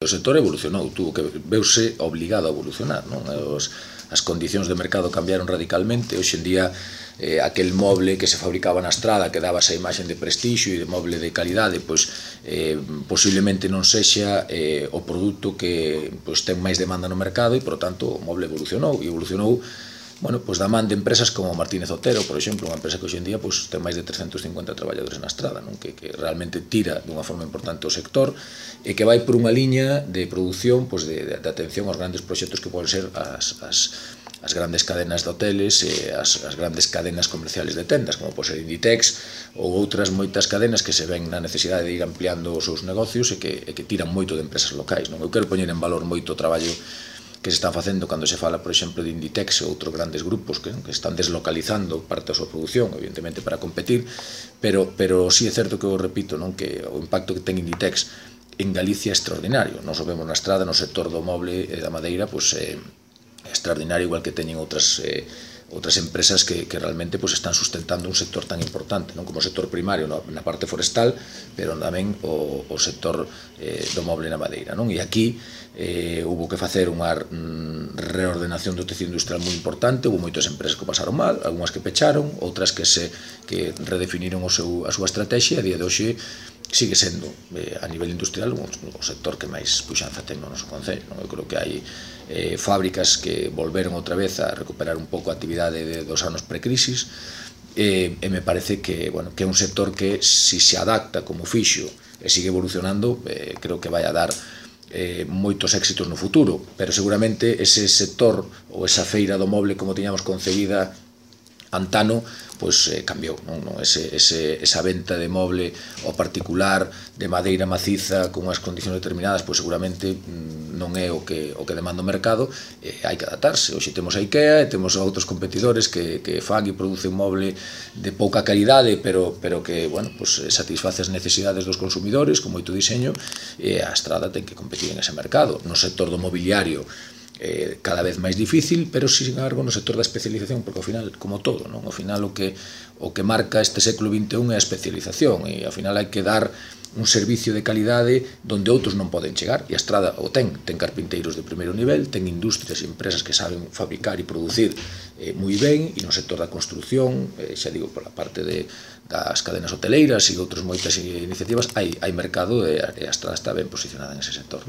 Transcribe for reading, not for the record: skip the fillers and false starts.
O sector evolucionou, veuse obligado a evolucionar, non? As condicións de mercado cambiaron radicalmente. Hoxe en día, aquel moble que se fabricaba na estrada, que daba esa imaxen de prestixio e de moble de calidade, posiblemente non sexa o produto que ten máis demanda no mercado e, por tanto, o moble evolucionou. E evolucionou da man de empresas como Martínez Otero, por exemplo, unha empresa que hoxe en día ten máis de 350 traballadores na estrada, que realmente tira dunha forma importante o sector e que vai por unha liña de produción de atención aos grandes proxectos que poden ser as grandes cadenas de hoteles e as grandes cadenas comerciales de tendas, como pode ser Inditex ou outras moitas cadenas que se ven na necesidade de ir ampliando os seus negocios e que tiran moito de empresas locais. Eu quero poñer en valor moito o traballo que se está facendo cando se fala, por exemplo, de Inditex e outros grandes grupos que están deslocalizando parte da súa produción, evidentemente para competir, pero sí é certo que eu repito que o impacto que ten Inditex en Galicia é extraordinario. Nós o vemos na estrada, no sector do moble e da madeira, é extraordinario, igual que teñen outras empresas que realmente están sustentando un sector tan importante, non como o sector primario na parte forestal, pero tamén o sector do moble na madeira. E aquí houve que facer unha reordenación do tecido industrial moi importante. Houve moitas empresas que pasaron mal, algunhas que pecharon, outras que redefiniron a súa estrategia, e a día de hoxe sigue sendo, a nivel industrial, o sector que máis puxanza ten no noso concello. Eu creo que hai fábricas que volveron outra vez a recuperar un pouco a actividade dos anos precrisis, e me parece que é un sector que, se se adapta como fixo e sigue evolucionando, creo que vai a dar moitos éxitos no futuro. Pero seguramente ese sector ou esa feira do moble como tiñamos concebida antano cambiou. Esa venta de moble ao particular, de madeira maciza, con unhas condicións determinadas, seguramente non é o que demanda o mercado. Hai que adaptarse. Hoxe temos a IKEA e temos outros competidores que fan e producen moble de pouca calidade, pero que satisface as necesidades dos consumidores con moito diseño, e a Estrada ten que competir en ese mercado. No sector do mobiliario cada vez máis difícil, pero sin embargo no sector da especialización, porque ao final, como todo, ao final o que marca este século XXI é a especialización, e ao final hai que dar un servicio de calidade donde outros non poden chegar, e a Estrada o ten carpinteiros de primeiro nivel, ten industrias e empresas que saben fabricar e producir moi ben, e no sector da construción, xa digo, pola parte das cadenas hoteleiras e outras moitas iniciativas, hai mercado, e a Estrada está ben posicionada en ese sector.